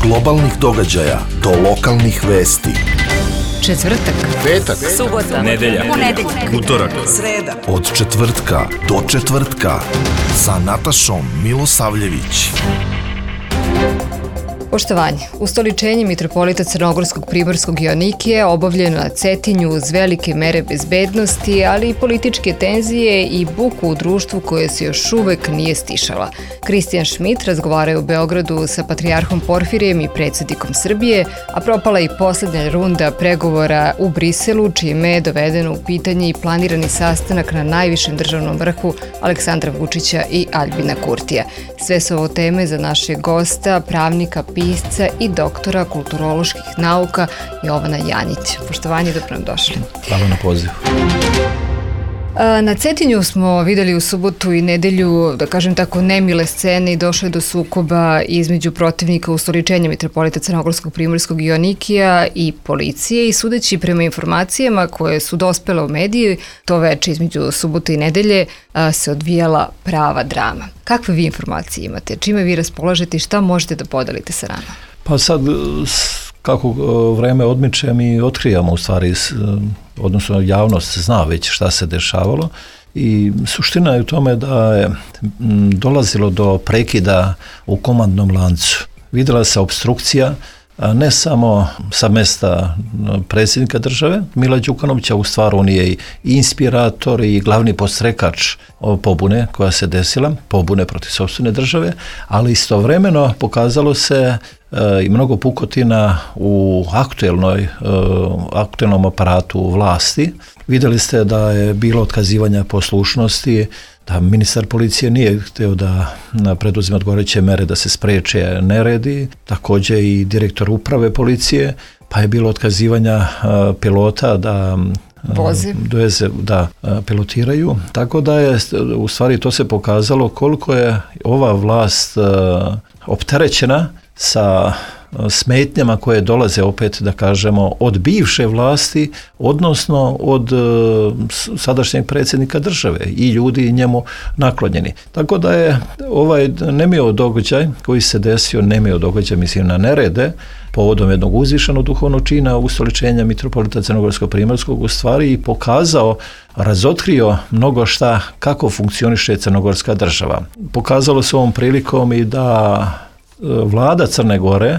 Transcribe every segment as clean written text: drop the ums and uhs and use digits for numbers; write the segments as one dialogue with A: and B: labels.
A: globalnih događaja do lokalnih vesti.
B: Četvrtak,
C: petak,
B: subota,
C: nedelja, utorak,
B: sreda.
A: Od četvrtka do četvrtka sa Natašom Milosavljević.
B: Poštovanje. Ustoličenje mitropolita Crnogorskog Primorskog Joanikija obavljeno na Cetinju uz velike mere bezbednosti, ali i političke tenzije i buku u društvu koje se još uvek nije stišala. Kristijan Šmit razgovarao je u Beogradu sa patrijarhom Porfirijem i predsjednikom Srbije, a propala i poslednja runda pregovora u Briselu, čime je dovedeno u pitanje i planirani sastanak na najvišem državnom vrhu Aleksandra Vučića i Aljbina Kurtija. Sve su ovo teme za našeg gosta, pravnika, pisca i doktora kulturoloških nauka Jovana Janjić. Poštovanje, dobro nam došli.
D: Hvala na pozivu.
B: Na Cetinju smo videli u subotu i nedelju, da kažem tako, nemile scene i došlo je do sukoba između protivnika ustoličenja mitropolita Crnogorskog Primorskog Joanikija i policije i sudeći prema informacijama koje su dospele u mediji, to veče između subote i nedelje se odvijala prava drama. Kakve vi informacije imate? Čime vi raspolažete i šta možete da podelite sa nama?
D: Pa sad, kako vreme odmiče, mi otkrijamo u stvari, odnosno javnost zna već šta se dešavalo i suština je u tome da je dolazilo do prekida u komandnom lancu. Vidjela se opstrukcija, ne samo sa mesta predsjednika države, Mila Đukanovića, u stvari on je i inspirator i glavni podstrekač pobune koja se desila, pobune protiv sopstvene države, ali istovremeno pokazalo se i mnogo pukotina u aktuelnom aparatu vlasti. Vidjeli ste da je bilo otkazivanja poslušnosti, da ministar policije nije htio da preduzima odgovarajuće mere da se spreče neredi, također i direktor uprave policije, pa je bilo otkazivanja pilota da pilotiraju. Tako da je, u stvari to se pokazalo koliko je ova vlast opterećena sa smetnjama koje dolaze opet, da kažemo, od bivše vlasti, odnosno od sadašnjeg predsjednika države i ljudi njemu naklonjeni. Tako da je ovaj nemio događaj koji se desio, mislim na nerede, povodom jednog uzvišenog duhovnog čina ustoličenja mitropolita Crnogorskog Primorskog, u stvari i pokazao, razotkrio mnogo šta kako funkcioniše crnogorska država. Pokazalo se ovom prilikom i da vlada Crne Gore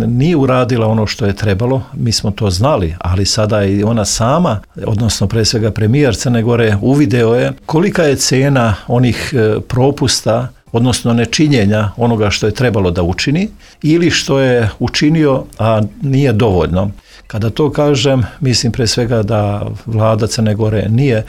D: nije uradila ono što je trebalo, mi smo to znali, ali sada i ona sama, odnosno pre svega premijer Crne Gore, uvideo je kolika je cena onih propusta, odnosno nečinjenja onoga što je trebalo da učini ili što je učinio, a nije dovoljno. Kada to kažem, mislim pre svega da vlada Crne Gore nije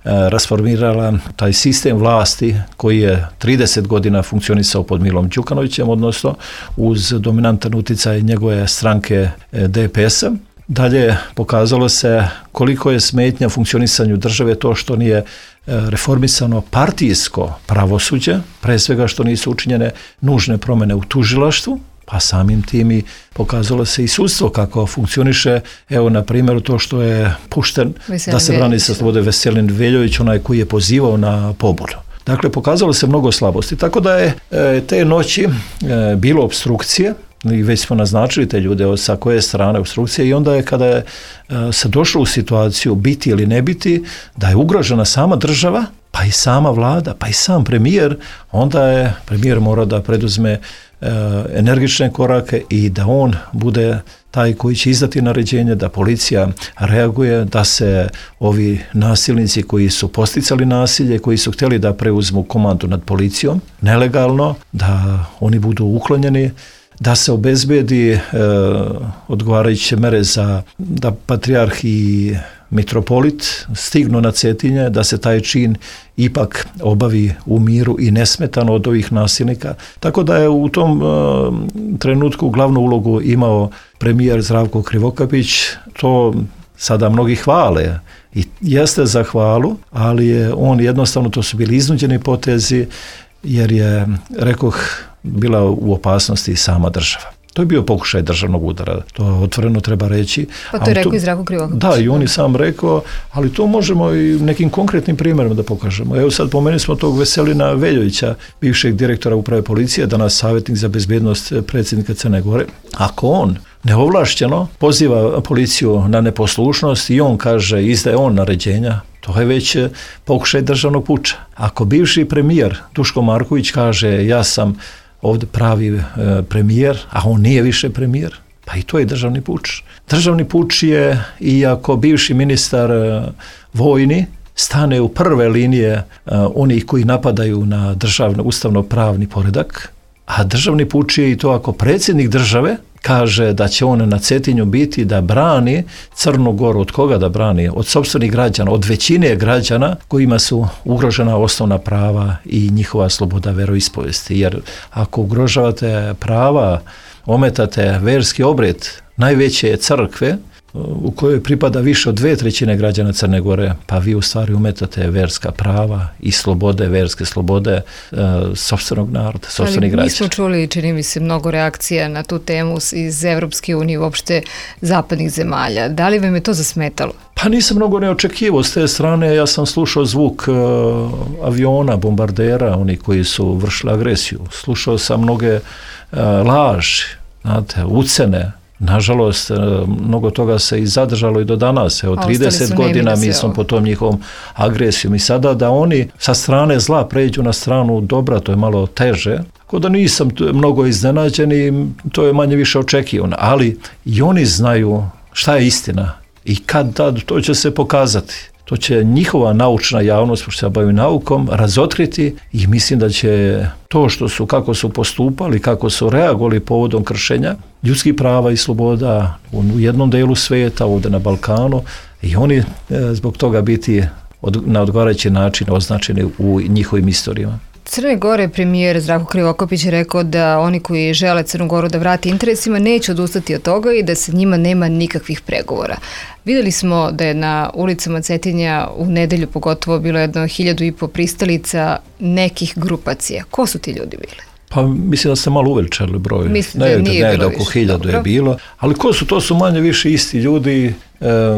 D: rasformirala taj sistem vlasti koji je 30 godina funkcionisao pod Milom Đukanovićem, odnosno uz dominantan utjecaj njegove stranke DPS-a. Dalje pokazalo se koliko je smetnja funkcionisanju države to što nije reformisano partijsko pravosuđe, pre svega što nisu učinjene nužne promjene u tužilaštvu, pa samim tim i pokazalo se i sudstvo kako funkcioniše. Evo, na primjeru to što je pušten da se brani sa slobode Veselin Veljović, onaj koji je pozivao na pobunu. Dakle, pokazalo se mnogo slabosti. Tako da je te noći bilo opstrukcije, i već smo naznačili te ljude sa koje strane opstrukcije, i onda je kada je se došlo u situaciju biti ili ne biti, da je ugrožena sama država, pa i sama vlada, pa i sam premijer, onda je premijer mora da preduzme energične korake i da on bude taj koji će izdati naređenje, da policija reaguje, da se ovi nasilnici koji su posticali nasilje, koji su htjeli da preuzmu komandu nad policijom nelegalno, da oni budu uklonjeni, da se obezbedi odgovarajuće mere za da patrijarh i mitropolit stignu na Cetinje, da se taj čin ipak obavi u miru i nesmetano od ovih nasilnika. Tako da je u tom trenutku glavnu ulogu imao premijer Zdravko Krivokapić. To sada mnogi hvale i jeste za hvalu, ali je on jednostavno, to su bili iznuđeni potezi, jer je, rekoh, bila u opasnosti sama država. To je bio pokušaj državnog udara, to otvoreno treba reći.
B: Pa to je rekao i Zdravko Krivokapić.
D: Da, i on je sam rekao, ali to možemo i nekim konkretnim primjerima da pokažemo. Evo sad pomenuli smo tog Veselina Veljovića, bivšeg direktora uprave policije, danas savjetnik za bezbednost predsjednika Crne Gore. Ako on neovlašćeno poziva policiju na neposlušnost i on kaže, izdaje on naređenja, to je već pokušaj državnog puča. Ako bivši premijer Duško Marković kaže, ja sam ovdje pravi premijer, a on nije više premijer, pa i to je državni puč. Državni puč je, iako bivši ministar vojni stane u prve linije onih koji napadaju na državno ustavno-pravni poredak, a državni puč je i to ako predsjednik države kaže da će on na Cetinju biti da brani Crnu Goru. Od koga da brani? Od sopstvenih građana, od većine građana kojima su ugrožena osnovna prava i njihova sloboda veroispovesti. Jer ako ugrožavate prava, ometate verski obred najveće crkve u kojoj pripada više od 2/3 građana Crne Gore, pa vi u stvari umetate verska prava i slobode, verske slobode sopstvenog naroda, sopstvenih građana.
B: Mi smo čuli, čini mi se, mnogo reakcija na tu temu iz Evropske unije, uopšte zapadnih zemalja. Da li vam je to zasmetalo?
D: Pa nisam mnogo ne očekivao s te strane, ja sam slušao zvuk aviona, bombardera, oni koji su vršili agresiju. Slušao sam mnoge laži, znate, ucene. Nažalost, mnogo toga se i zadržalo i do danas. Evo, 30 godina mi smo po tom njihovom agresijom i sada da oni sa strane zla pređu na stranu dobra, to je malo teže. Tako da nisam mnogo iznenađen i to je manje više očekivano. Ali i oni znaju šta je istina i kad tad to će se pokazati. To će njihova naučna javnost, pošto se bavi naukom, razotkriti i mislim da će to što su, kako su postupali, kako su reagovali povodom kršenja ljudskih prava i sloboda u jednom delu svijeta, ovdje na Balkanu, i oni zbog toga biti na odgovarajući način označeni u njihovim istorijama.
B: Crne Gore premijer Zdravko Krivokapić je rekao da oni koji žele Crnu Goru da vrati interesima neće odustati od toga i da se njima nema nikakvih pregovora. Vidjeli smo da je na ulicama Cetinja u nedelju pogotovo bilo 1.500 pristalica nekih grupacija. Ko su ti ljudi bili?
D: Pa mislim da ste malo uveličali broj.
B: Mislim da nije bilo
D: oko 1000 je bilo. Ali ko su? To su manje više isti ljudi.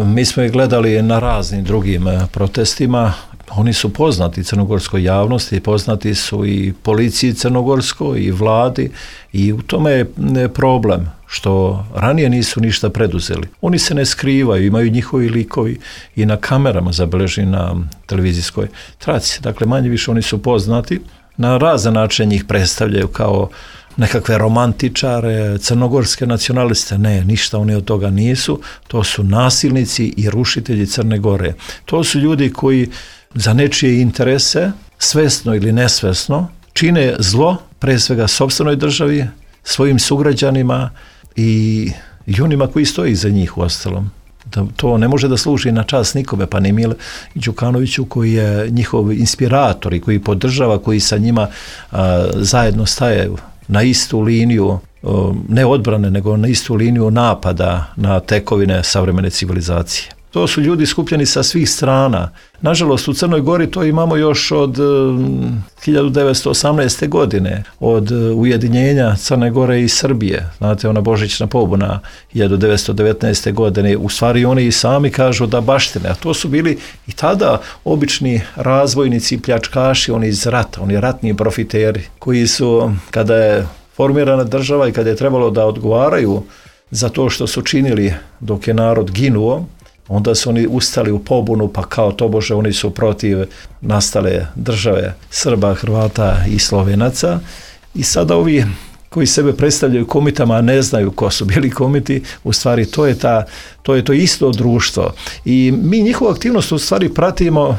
D: Mi smo ih gledali na raznim drugim protestima. Oni su poznati crnogorskoj javnosti, poznati su i policiji crnogorskoj i vladi i u tome je problem što ranije nisu ništa preduzeli. Oni se ne skrivaju, imaju njihovi likovi i na kamerama zabeleženi na televizijskoj traci. Dakle, manje više oni su poznati. Na razne načine njih predstavljaju kao nekakve romantičare, crnogorske nacionaliste. Ne, ništa oni od toga nisu. To su nasilnici i rušitelji Crne Gore. To su ljudi koji za nečije interese, svesno ili nesvesno, čine zlo, pre svega sopstvenoj državi, svojim sugrađanima i onima koji stoji iza njih u ostalom. To ne može da služi na čast nikome, pa ni Mile Đukanoviću koji je njihov inspirator i koji podržava, koji sa njima zajedno staje na istu liniju, ne odbrane, nego na istu liniju napada na tekovine savremene civilizacije. To su ljudi skupljeni sa svih strana. Nažalost, u Crnoj Gori to imamo još od 1918. godine, od ujedinjenja Crne Gore i Srbije. Znate, ona božićna pobuna 1919. godine. U stvari oni i sami kažu da baštine, a to su bili i tada obični razvojnici i pljačkaši, oni iz rata, oni ratni profiteri, koji su, kada je formirana država i kada je trebalo da odgovaraju za to što su činili dok je narod ginuo, onda su oni ustali u pobunu, pa kao tobože oni su protiv nastale države Srba, Hrvata i Slovenaca. I sada ovi koji sebe predstavljaju komitama, a ne znaju ko su bili komiti, u stvari to je to isto društvo. I mi njihovu aktivnost u stvari pratimo,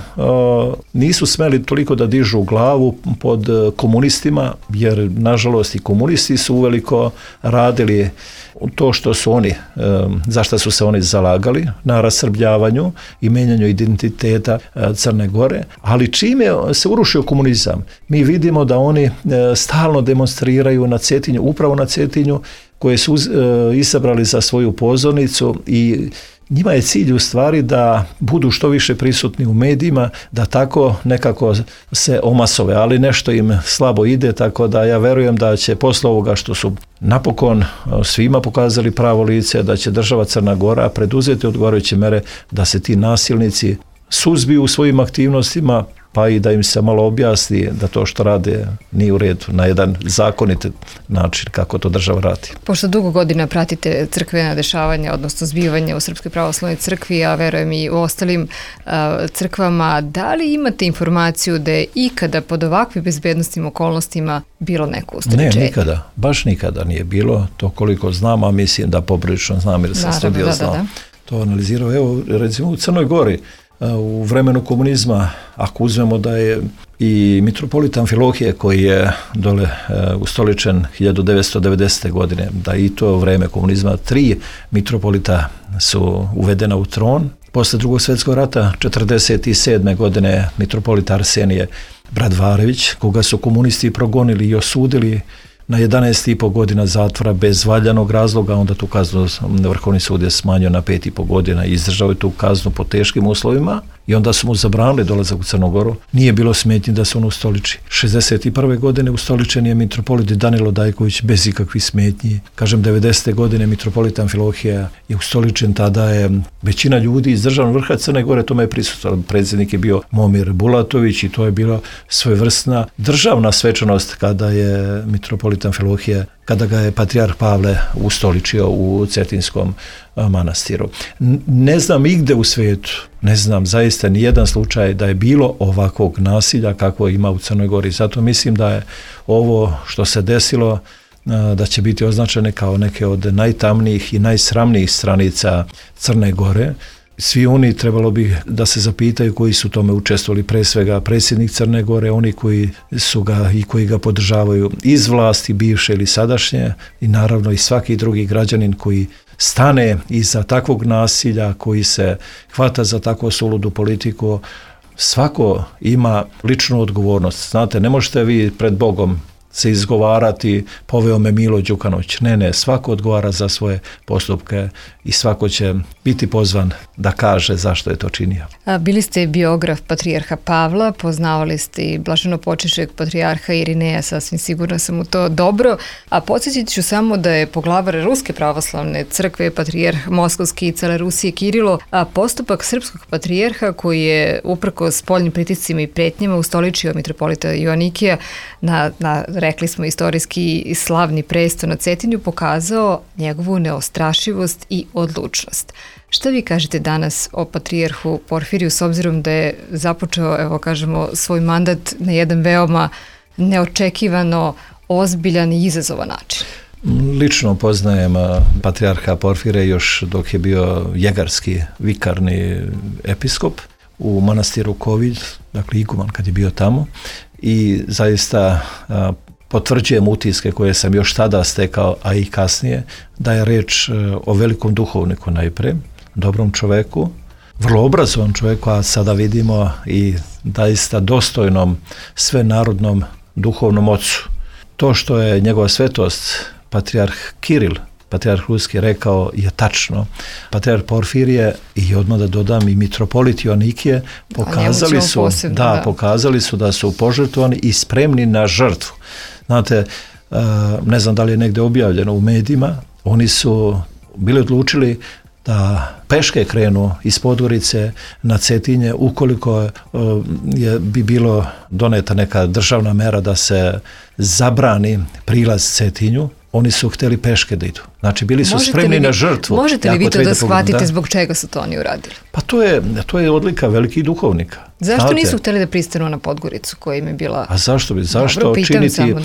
D: nisu smeli toliko da dižu glavu pod komunistima, jer nažalost i komunisti su uveliko radili to što su oni, za što su se oni zalagali, na rasrbljavanju i menjanju identiteta Crne Gore, ali čime se urušio komunizam? Mi vidimo da oni stalno demonstriraju na Cetinju, upravo na Cetinju, koje su izabrali za svoju pozornicu i njima je cilj u stvari da budu što više prisutni u medijima, da tako nekako se omasove, ali nešto im slabo ide, tako da ja verujem da će posle ovoga što su napokon svima pokazali pravo lice, da će država Crna Gora preduzeti odgovarajuće mere da se ti nasilnici suzbiju u svojim aktivnostima, pa i da im se malo objasni da to što rade nije u redu, na jedan zakonit način kako to država radi.
B: Pošto dugo godina pratite crkvena dešavanja, odnosno zbivanja u Srpskoj pravoslavnoj crkvi, a verujem i u ostalim crkvama, da li imate informaciju da je ikada pod ovakvim bezbednostnim okolnostima bilo neko ustoličenje?
D: Ne, nikada, baš nikada nije bilo, to koliko znam, a mislim da poprilično znam jer sam sve bio znao. To analizirao, evo recimo u Crnoj Gori, u vremenu komunizma, ako uzmemo da je i mitropolit Amfilohije koji je dole ustoličen 1990. godine, da i to vreme komunizma 3 mitropolita su uvedena u tron. Posle Drugog svjetskog rata 1947. godine mitropolit Arsenije Bradvarević, koga su komunisti progonili i osudili na 11,5 godina zatvora bez valjanog razloga, onda tu kaznu Vrhovni sud je smanjio na 5,5 godina i izdržao je tu kaznu po teškim uslovima i onda su mu zabranili dolazak u Crnu Goru. Nije bilo smetnji da se on ustoliči. 61. godine ustoličen je mitropolit Danilo Dajković bez ikakvih smetnji. Kažem, 90. godine mitropolit Amfilohija je ustoličen, tada je većina ljudi iz državnog vrha Crne Gore tome je prisutan. Predsjednik je bio Momir Bulatović i to je bila svojevrsna državna svečanost kada je mitropolit Amfilohija, kada ga je patrijarh Pavle ustoličio u Cetinskom manastiru. Ne znam igde u svijetu, ne znam zaista ni jedan slučaj da je bilo ovakvog nasilja kako ima u Crnoj Gori. Zato mislim da je ovo što se desilo da će biti označene kao neke od najtamnijih i najsramnijih stranica Crne Gore. Svi oni trebalo bi da se zapitaju koji su tome učestvovali, pre svega predsjednik Crne Gore, oni koji su ga i koji ga podržavaju iz vlasti bivše ili sadašnje i naravno i svaki drugi građanin koji stane iza takvog nasilja, koji se hvata za takvu suludu politiku. Svako ima ličnu odgovornost. Znate, ne možete vi pred Bogom se izgovarati poveo me Milo Đukanović. Ne, svako odgovara za svoje postupke i svako će biti pozvan da kaže zašto je to činio.
B: Bili ste biograf patrijarha Pavla, poznavali ste i blaženopočivšeg patrijarha Irineja, sasvim sigurno sam u to dobro, a podsjetit ću samo da je poglavar Ruske pravoslavne crkve, patrijarh Moskovski i cele Rusije Kirilo, a postupak srpskog patrijarha koji je uprkos spoljnim pritiscima i pretnjama ustoličio mitropolita Joanikija na rekli smo istorijski slavni presto na Cetinju, pokazao njegovu neostrašivost i odlučnost. Šta vi kažete danas o patrijarhu Porfiriju s obzirom da je započeo, evo kažemo, svoj mandat na jedan veoma neočekivano ozbiljan i izazovan način?
D: Lično poznajem patrijarha Porfire još dok je bio jegarski vikarni episkop u manastiru Kovilj, dakle iguman kad je bio tamo, i zaista potvrđujem utiske koje sam još tada stekao, a i kasnije, da je reč o velikom duhovniku najpre, dobrom čoveku, vrlo obrazovan čovjeku, a sada vidimo i zaista dostojnom svenarodnom duhovnom ocu. To što je njegova svetost patrijarh Kiril, patrijarh Ruski, rekao je tačno. Patrijarh Porfirije i odmah da dodam i mitropolit Joanikije pokazali su da su požrtvovani i spremni na žrtvu. Znate, ne znam da li je negdje objavljeno u medijima, oni su bili odlučili da peške krenu iz Podgorice na Cetinje ukoliko bi bilo doneta neka državna mera da se zabrani prilaz Cetinju. Oni su htjeli peške da idu. Znači, bili su spremni na žrtvu.
B: Možete li vi to da shvatite zbog čega su to oni uradili?
D: Pa to je odlika velikih duhovnika.
B: Zašto nisu htjeli da pristanu na Podgoricu koja im je bila...
D: A zašto činiti?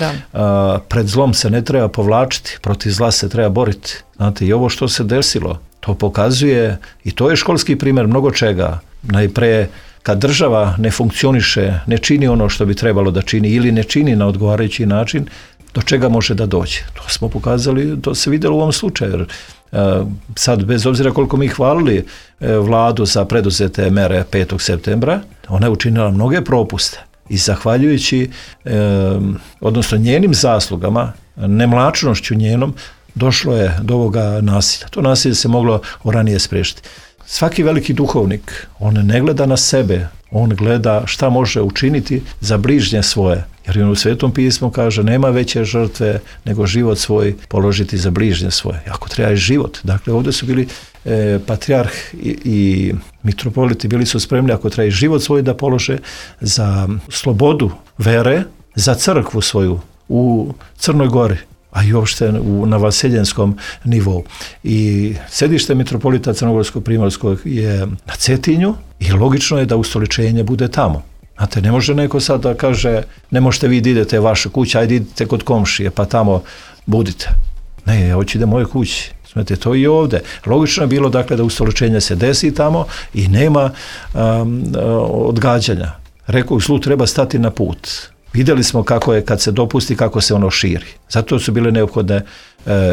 D: Pred zlom se ne treba povlačiti, protiv zla se treba boriti. Znate, i ovo što se desilo, to pokazuje, i to je školski primjer mnogo čega. Najpre, kad država ne funkcioniše, ne čini ono što bi trebalo da čini ili ne čini na odgovarajući način, do čega može da dođe. To smo pokazali, to se vidjelo u ovom slučaju. Sad, bez obzira koliko mi hvalili vladu za preduzete mere 5. septembra, ona je učinila mnoge propuste i zahvaljujući, odnosno njenim zaslugama, nemlačnošću njenom, došlo je do ovoga nasilja. To nasilje se moglo ranije spriječiti. svaki veliki duhovnik, on ne gleda na sebe, on gleda šta može učiniti za bližnje svoje. Jer on u Svetom pismu kaže nema veće žrtve nego život svoj položiti za bližnje svoje. Ako treba i život. Dakle, ovdje su bili patrijarh i mitropoliti bili su spremni ako treba i život svoj da polože za slobodu vere, za crkvu svoju u Crnoj Gori, a i uopšte na vaseljenskom nivou. I sedište mitropolita Crnogorskog Primorskog je na Cetinju i logično je da ustoličenje bude tamo. Znate, ne može neko sad da kaže ne možete vi da idete vaše kuće, ajde idite kod komšije pa tamo budite. Ne, ja hoću da moje kući. Znate, to i ovdje. Logično je bilo dakle da ustoličenje se desi tamo i nema odgađanja. Rekao, zlu treba stati na put. Vidjeli smo kako je kad se dopusti, kako se ono širi. Zato su bile neophodne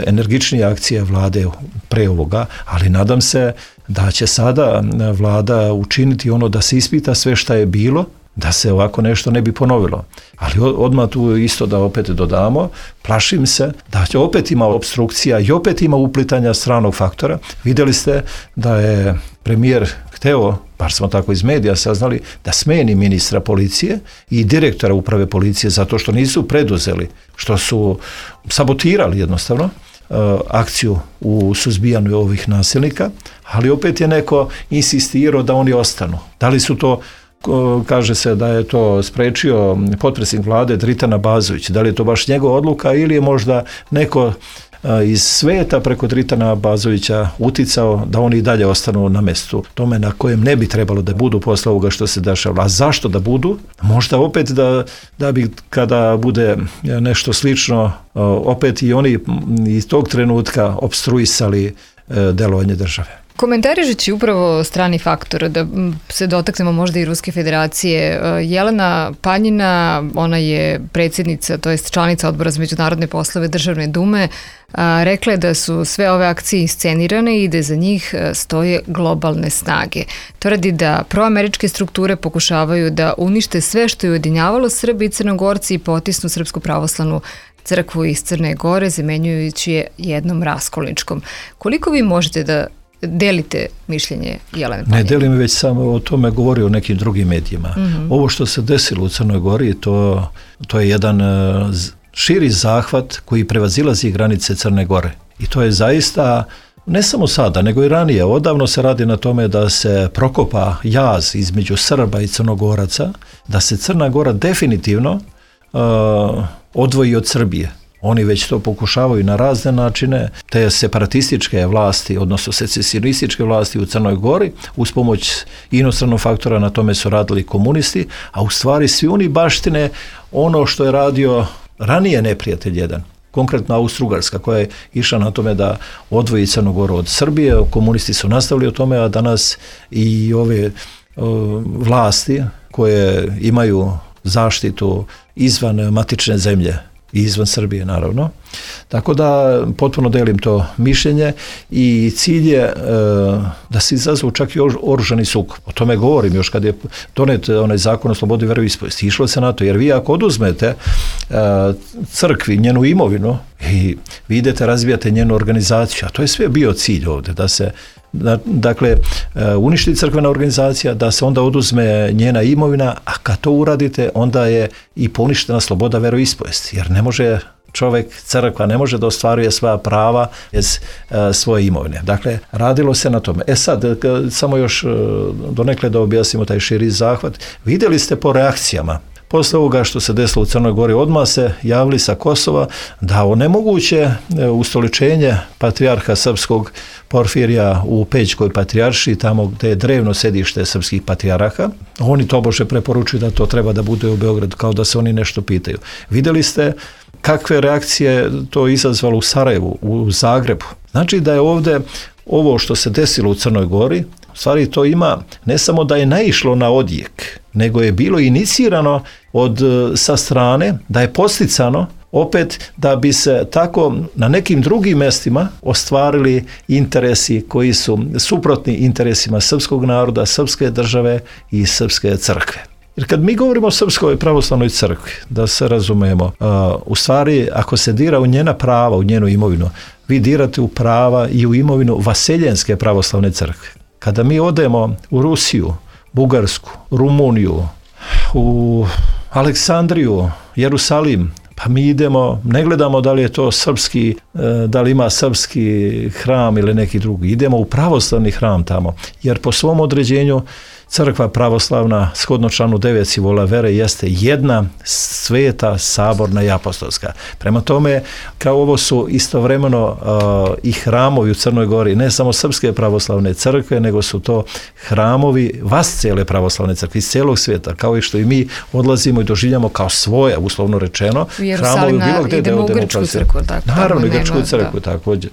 D: energičnije akcije vlade pre ovoga, ali nadam se da će sada vlada učiniti ono da se ispita sve šta je bilo, da se ovako nešto ne bi ponovilo. Ali odmah tu isto da opet dodamo, plašim se da će opet ima opstrukcija i opet ima uplitanja stranog faktora. Vidjeli ste da je premijer hteo, bar smo tako iz medija saznali, da smeni ministra policije i direktora uprave policije zato što nisu preduzeli, što su sabotirali jednostavno akciju u suzbijanju ovih nasilnika, ali opet je neko insistirao da oni ostanu. Da li su to, kaže se da je to sprečio potpredsjednik vlade Dritan Abazović, da li je to baš njegova odluka ili je možda neko iz sveta preko Dritana Abazovića uticao da oni i dalje ostanu na mjestu tome na kojem ne bi trebalo da budu posle ovoga što se dešava. A zašto da budu? Možda opet da bi kada bude nešto slično opet i oni iz tog trenutka opstruisali delovanje države.
B: Komentarišući upravo strani faktor, da se dotaknemo možda i Ruske federacije, Jelena Panjina, ona je predsjednica, to jest članica Odbora za međunarodne poslove Državne dume, rekla je da su sve ove akcije iscenirane i da za njih stoje globalne snage. Tvrdi da proameričke strukture pokušavaju da unište sve što je ujedinjavalo Srbi i Crnogorci i potisnu Srpsku pravoslavnu crkvu iz Crne Gore, zamenjujući je jednom raskolničkom. Koliko vi možete da delite mišljenje Jelene Panjine?
D: Ne delim, već samo o tome govori o nekim drugim medijima. Mm-hmm. Ovo što se desilo u Crnoj Gori, to je jedan širi zahvat koji prevazilazi granice Crne Gore. I to je zaista, ne samo sada, nego i ranije. Odavno se radi na tome da se prokopa jaz između Srba i Crnogoraca, da se Crna Gora definitivno odvoji od Srbije. Oni već to pokušavaju na razne načine, te separatističke vlasti, odnosno secesionističke vlasti u Crnoj Gori, uz pomoć inostranog faktora na tome su radili komunisti, a u stvari svi oni baštine ono što je radio ranije neprijatelj jedan, konkretno Austro-Ugarska, koja je išla na tome da odvoji Crnu Goru od Srbije, komunisti su nastavili o tome, a danas i ove vlasti koje imaju zaštitu izvan matične zemlje, i izvan Srbije naravno. Tako da potpuno delim to mišljenje i cilj je da se izazvu čak i oružani sukob. O tome govorim još kad je donet onaj zakon o slobodi veroispovesti. Išlo se na to, jer vi ako oduzmete crkvi njenu imovinu i vi idete razvijate njenu organizaciju, a to je sve bio cilj ovdje, da se dakle uništi crkvena organizacija, da se onda oduzme njena imovina, a kad to uradite onda je i poništena sloboda veroispovesti, jer ne može čovjek, crkva ne može da ostvaruje svoja prava bez svoje imovine. Dakle, radilo se na tome. Sad, samo još donekle da objasnimo taj širi zahvat. Vidjeli ste po reakcijama posle ovoga što se desilo u Crnoj Gori, odmah se javili sa Kosova da onemoguće ustoličenje patrijarha srpskog Porfirija u Pećkoj patrijaršiji, tamo gdje je drevno sedište srpskih patrijarha. Oni tobože preporučuju da to treba da bude u Beogradu, kao da se oni nešto pitaju. Vidjeli ste kakve reakcije to izazvalo u Sarajevu, u Zagrebu. Znači da je ovdje ovo što se desilo u Crnoj Gori, u stvari to ima, ne samo da je naišlo na odjek, nego je bilo inicirano sa strane, da je posticano opet da bi se tako na nekim drugim mjestima ostvarili interesi koji su suprotni interesima srpskog naroda, srpske države i srpske crkve. Jer kad mi govorimo o Srpskoj pravoslavnoj crkvi, da se razumemo, u stvari ako se dira u njena prava, u njenu imovinu, vi dirate u prava i u imovinu Vaseljenske pravoslavne crkve. Kada mi odemo u Rusiju, Bugarsku, Rumuniju, u Aleksandriju, Jerusalim, pa mi idemo, ne gledamo da li je to srpski, da li ima srpski hram ili neki drugi. Idemo u pravoslavni hram tamo, jer po svom određenju crkva pravoslavna, shodno članu 9 simbole vere, jeste jedna sveta, saborna i apostolska. Prema tome, kao ovo su istovremeno i hramovi u Crnoj Gori, ne samo srpske pravoslavne crkve, nego su to hramovi vascijele pravoslavne crkve iz cijelog svijeta, kao i što i mi odlazimo i doživljamo kao svoje, uslovno rečeno, hramovi bilo gdje
B: idemo u Grčku crkvu.
D: Naravno, i Grčku crkvu također.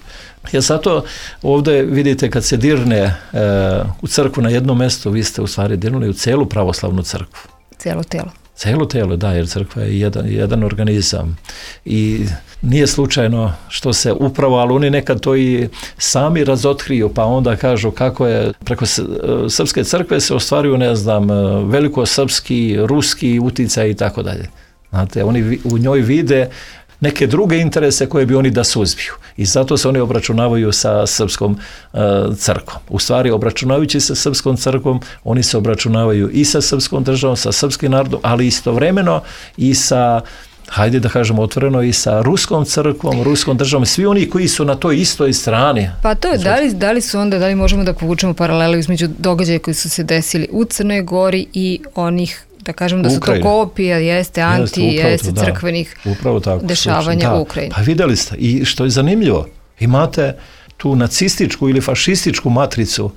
D: Ja zato ovdje vidite kad se dirne u crkvu na jedno mjesto, vi ste u stvari dirnuli u cijelu pravoslavnu crkvu.
B: Cijelo tijelo.
D: Cijelo tijelo, da, jer crkva je jedan organizam. I nije slučajno što se upravo, ali oni nekad to i sami razotkriju, pa onda kažu kako je preko srpske crkve se ostvaruju, ne znam, velikosrpski, ruski uticaj i tako dalje. Znate, oni u njoj vide neke druge interese koje bi oni da suzbiju. I zato se oni obračunavaju sa srpskom crkvom. U stvari, obračunavajući se sa srpskom crkvom, oni se obračunavaju i sa srpskom državom, sa srpskim narodom, ali istovremeno i sa, hajde da kažemo otvoreno, i sa ruskom crkvom, ruskom državom, svi oni koji su na toj istoj strani.
B: Pa to je, da li možemo da povučemo paralelu između događaja koji su se desili u Crnoj Gori i onih, da kažem da su to kopija, jeste crkvenih dešavanja u Ukrajini.
D: Pa vidjeli ste, i što je zanimljivo, imate tu nacističku ili fašističku matricu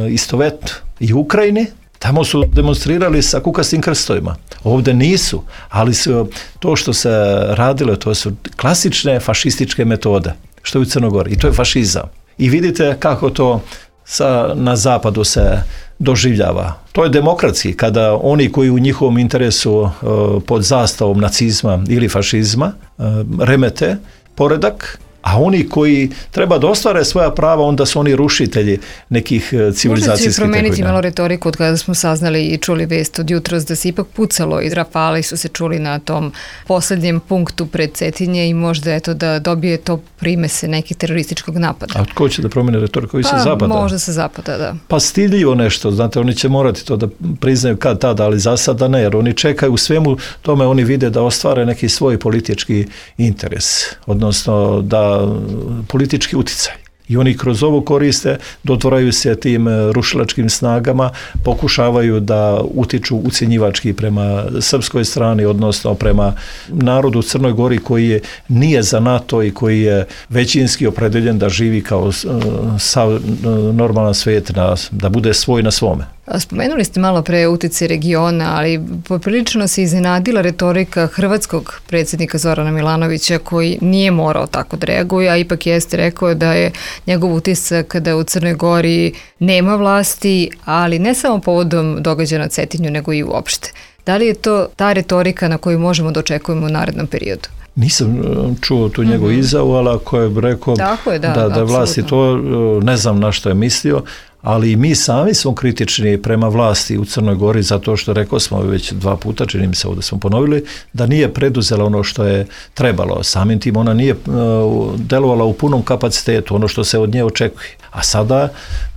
D: istovetnu i u Ukrajini, tamo su demonstrirali sa kukastim krstovima. Ovdje nisu, ali su to što se radilo, to su klasične fašističke metode, što je u Crnoj Gori, i to je fašizam. I vidite kako to na zapadu se doživljava. To je demokratski, kada oni koji u njihovom interesu pod zastavom nacizma ili fašizma remete poredak, a oni koji treba da ostvare svoja prava, onda su oni rušitelji nekih civilizacijskih tekovina.
B: Možda će promeniti malo retoriku od kada smo saznali i čuli vest od jutros da se ipak pucalo i rafali su se čuli na tom posljednjem punktu pred Cetinje i možda eto da dobije to primese nekih terorističkog napada.
D: A tko će da promene retoriku? Sa zapada?
B: Možda sa zapada, da.
D: Pa stidljivo nešto, znate, oni će morati to da priznaju kad tada, ali za sada ne, jer oni čekaju u svemu tome, oni vide da ostvare neki svoj politički interes, odnosno da politički uticaj. I oni kroz ovo koriste, dotvaraju se tim rušilačkim snagama, pokušavaju da utiču ucjenjivački prema srpskoj strani, odnosno prema narodu u Crnoj Gori koji nije za NATO i koji je većinski opredeljen da živi kao normalan svijet, da bude svoj na svome.
B: Spomenuli ste malo pre utjecaj regiona, ali poprilično se iznenadila retorika hrvatskog predsjednika Zorana Milanovića koji nije morao tako da reaguje, a ipak jeste rekao da je njegov utisak da u Crnoj Gori nema vlasti, ali ne samo povodom događaja na Cetinju, nego i uopšte. Da li je to ta retorika na koju možemo da očekujemo u narednom periodu?
D: Nisam čuo tu njegovu izjavu, ali ako je rekao da vlasti to, ne znam na što je mislio, ali mi sami smo kritični prema vlasti u Crnoj Gori zato što, rekao smo već 2 puta, čini mi se ovdje smo ponovili, da nije preduzela ono što je trebalo. Samim tim ona nije delovala u punom kapacitetu, ono što se od nje očekuje. A sada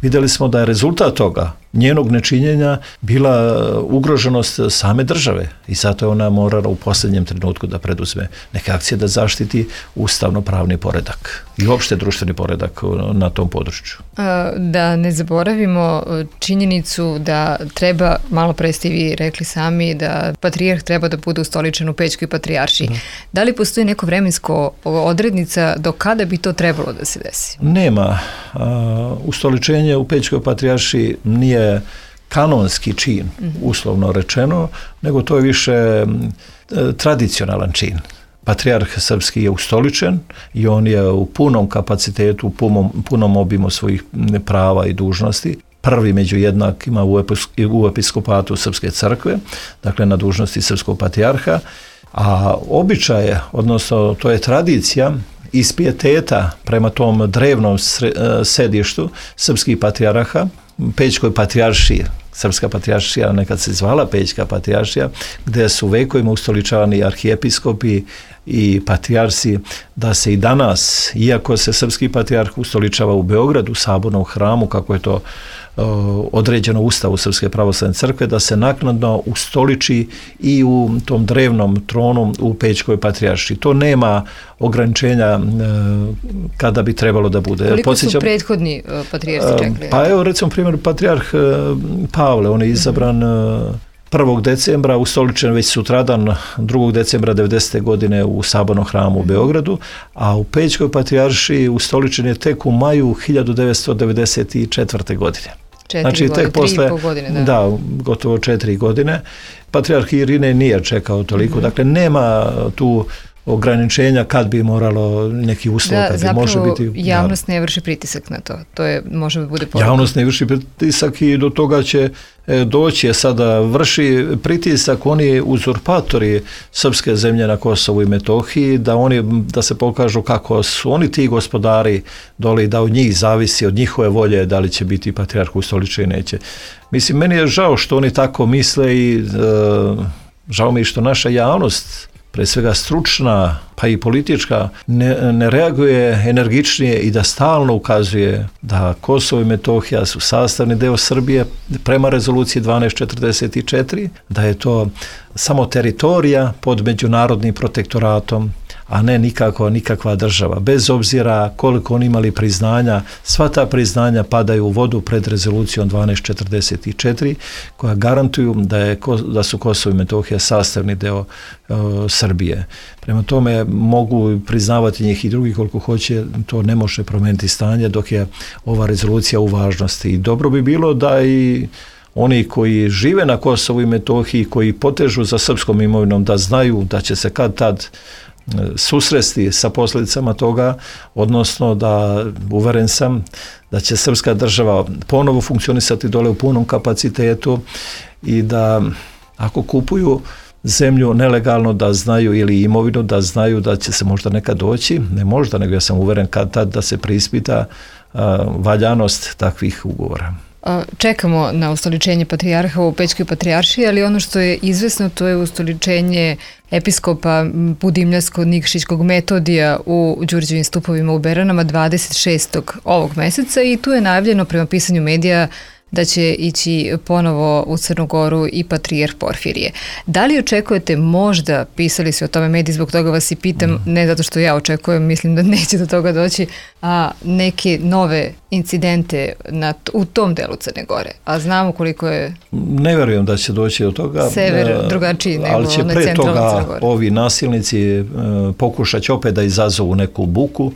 D: vidjeli smo da je rezultat toga, njenog nečinjenja, bila ugroženost same države i zato je ona morala u posljednjem trenutku da preduzme neke akcije da zaštiti ustavno-pravni poredak i uopšte društveni poredak na tom području.
B: Da ne zaboravimo činjenicu da treba, malo pre ste vi rekli sami, da patrijarh treba da bude ustoličen u Pećkoj patrijaršiji. Da li postoji neko vremensko odrednica do kada bi to trebalo da se desi?
D: Nema. Ustoličenje u Pećkoj patrijaršiji nije kanonski čin, uslovno rečeno, nego to je više tradicionalan čin. Patrijarh srpski je ustoličen i on je u punom kapacitetu, u punom obimu svojih prava i dužnosti. Prvi među jednakima u episkopatu Srpske crkve, dakle na dužnosti srpskog patrijarha, a običaj, odnosno to je tradicija iz pijeteta prema tom drevnom sedištu srpskih patrijarha, Pećkoj patrijaršiji. Srpska patrijaršija nekad se zvala Pećka patrijaršija, gdje su vekovima ustoličavani arhijepiskopi i patrijarsi, da se i danas, iako se srpski patrijarh ustoličava u Beogradu, u Sabornom hramu, kako je to određeno u Ustavu Srpske pravoslavne crkve, da se naknadno ustoliči i u tom drevnom tronu u Pećkoj patrijaršiji. To nema ograničenja kada bi trebalo da bude.
B: Koliko su prethodni patrijarsi čekali?
D: Pa evo recimo primjer patrijarh Pavle, on je izabran 1. decembra, ustoličen već sutradan 2. decembra 90. godine u Sabornom hramu u Beogradu, a u Pećkoj patrijaršiji ustoličen je tek u maju 1994. godine.
B: 4 godine, 3,5 godine.
D: Da, gotovo 4 godine. Patrijarh Irinej nije čekao toliko, dakle nema tu ograničenja kad bi moralo neki uslov, kad bi može biti...
B: Zapravo javnost ne vrši pritisak na to. To je, može bude poruka.
D: Javnost ne vrši pritisak i do toga će doći. Sada vrši pritisak oni uzurpatori srpske zemlje na Kosovu i Metohiji, da se pokažu kako su oni ti gospodari dole i da od njih zavisi, od njihove volje da li će biti patrijarh ustoličen i neće. Mislim, meni je žao što oni tako misle i žao mi je što naša javnost, pre svega stručna, pa i politička, ne reaguje energičnije i da stalno ukazuje da Kosovo i Metohija su sastavni deo Srbije prema rezoluciji 1244, da je to samo teritorija pod međunarodnim protektoratom, a ne nikakva država. Bez obzira koliko oni imali priznanja, sva ta priznanja padaju u vodu pred rezolucijom 1244, koja garantuju da su Kosovo i Metohija sastavni deo Srbije. Prema tome mogu priznavati njih i drugi koliko hoće, to ne može promijeniti stanje dok je ova rezolucija u važnosti. I dobro bi bilo da i oni koji žive na Kosovu i Metohiji, koji potežu za srpskom imovinom, da znaju da će se kad tad susresti sa posljedicama toga, odnosno da, uveren sam, da će srpska država ponovo funkcionisati dole u punom kapacitetu i da ako kupuju zemlju nelegalno, da znaju, ili imovinu, da znaju da će se možda nekad doći, ne možda, nego ja sam uveren kad tad da se preispita valjanost takvih ugovora.
B: Čekamo na ustoličenje patrijarha u Pećkoj patrijaršiji, ali ono što je izvesno, to je ustoličenje episkopa Budimljansko-Nikšićkog Metodija u Đurđevim stupovima u Beranama 26. ovog meseca i tu je najavljeno prema pisanju medija da će ići ponovo u Crnu Goru i patrijarh Porfirije. Da li očekujete, možda, pisali su o tome mediji, zbog toga vas i pitam, ne zato što ja očekujem, mislim da neće do toga doći, a neke nove incidente u tom delu Crne Gore? A znamo koliko je...
D: Ne vjerujem da će doći do toga.
B: Sever drugačiji nego
D: ali će pre toga ovi nasilnici pokušat će opet da izazovu neku buku,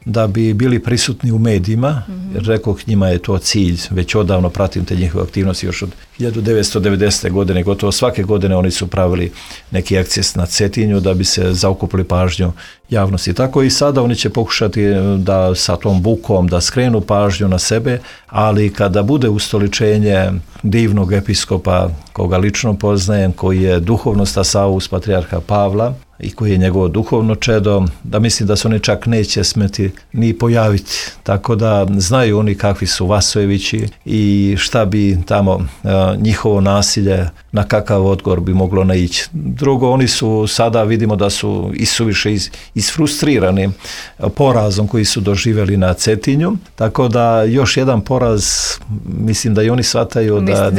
D: da bi bili prisutni u medijima, jer rekoh, njima je to cilj, već odavno pratim te njihove aktivnosti još od 1990. godine, gotovo svake godine oni su pravili neki akces na Cetinju da bi se zaokupili pažnju javnosti. Tako i sada oni će pokušati da sa tom bukom da skrenu pažnju na sebe, ali kada bude ustoličenje divnog episkopa koga lično poznajem, koji je duhovno stasaus patrijarha Pavla i koji je njegovo duhovno čedo, da mislim da se oni čak neće smeti ni pojaviti. Tako da znaju oni kakvi su Vasojevići i šta bi tamo njihovo nasilje, na kakav odgovor bi moglo naići. Drugo, oni su sada, vidimo da su isuviše isfrustrirani porazom koji su doživjeli na Cetinju, tako da još jedan poraz, mislim da i oni shvataju da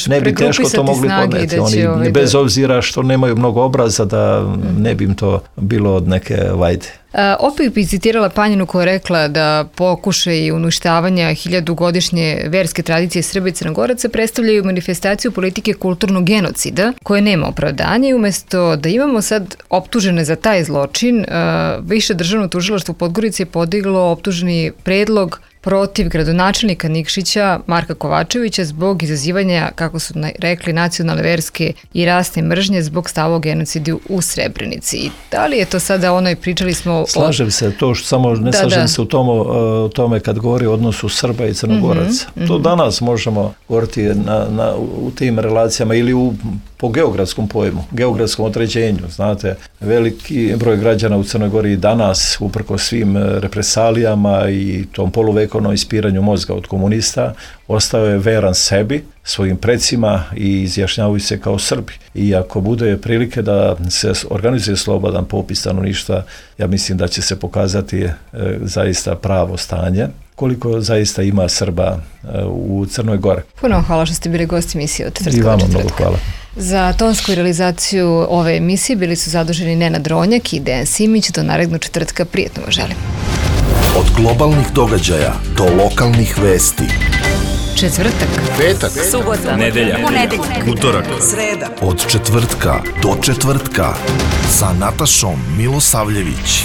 D: ne bi teško to mogli podneti. Oni, bez obzira što nemaju mnogo obraza, da ne bi im to bilo od neke vajde.
B: Opet bi citirala Panjinu koja je rekla da pokušaj uništavanja 1000-godišnje verske tradicije Srba i Crnogoraca predstavljaju manifestaciju politike kulturnog genocida koje nema opravdanja i umjesto da imamo sad optužene za taj zločin, Više državno tužilaštvo Podgorice je podiglo optuženi predlog protiv gradonačelnika Nikšića Marka Kovačevića zbog izazivanja, kako su rekli, nacionalne, verske i rasne mržnje zbog stava o genocidu u Srebrenici. I da li je to sada ono, i pričali smo...
D: Slažem se, to što samo ne slažem se u tome kad govori o odnosu Srba i Crnogoraca. To danas možemo govoriti u tim relacijama ili u po geografskom pojmu, geografskom određenju. Znate, veliki broj građana u Crnoj Gori danas, uprkos svim represalijama i tom poluvekovnom ispiranju mozga od komunista, ostao je veran sebi, svojim precima i izjašnjavaju se kao Srbi. I ako bude prilike da se organizuje slobodan popis stanovništva, ja mislim da će se pokazati zaista pravo stanje, koliko zaista ima Srba u Crnoj Gori.
B: Puno hvala što ste bili gosti emisije od četvrtka.
D: I vama mnogo hvala.
B: Za tonsku realizaciju ove emisije bili su zaduženi Nenad Ronjak i Dejan Simić. Do narednog četvrtka, prijetno vam želim.
A: Od globalnih događaja do lokalnih vesti.
B: Četvrtak,
A: Petak,
C: subota, nedelja, utorak, sreda.
A: Od četvrtka do četvrtka sa Natašom Milosavljević.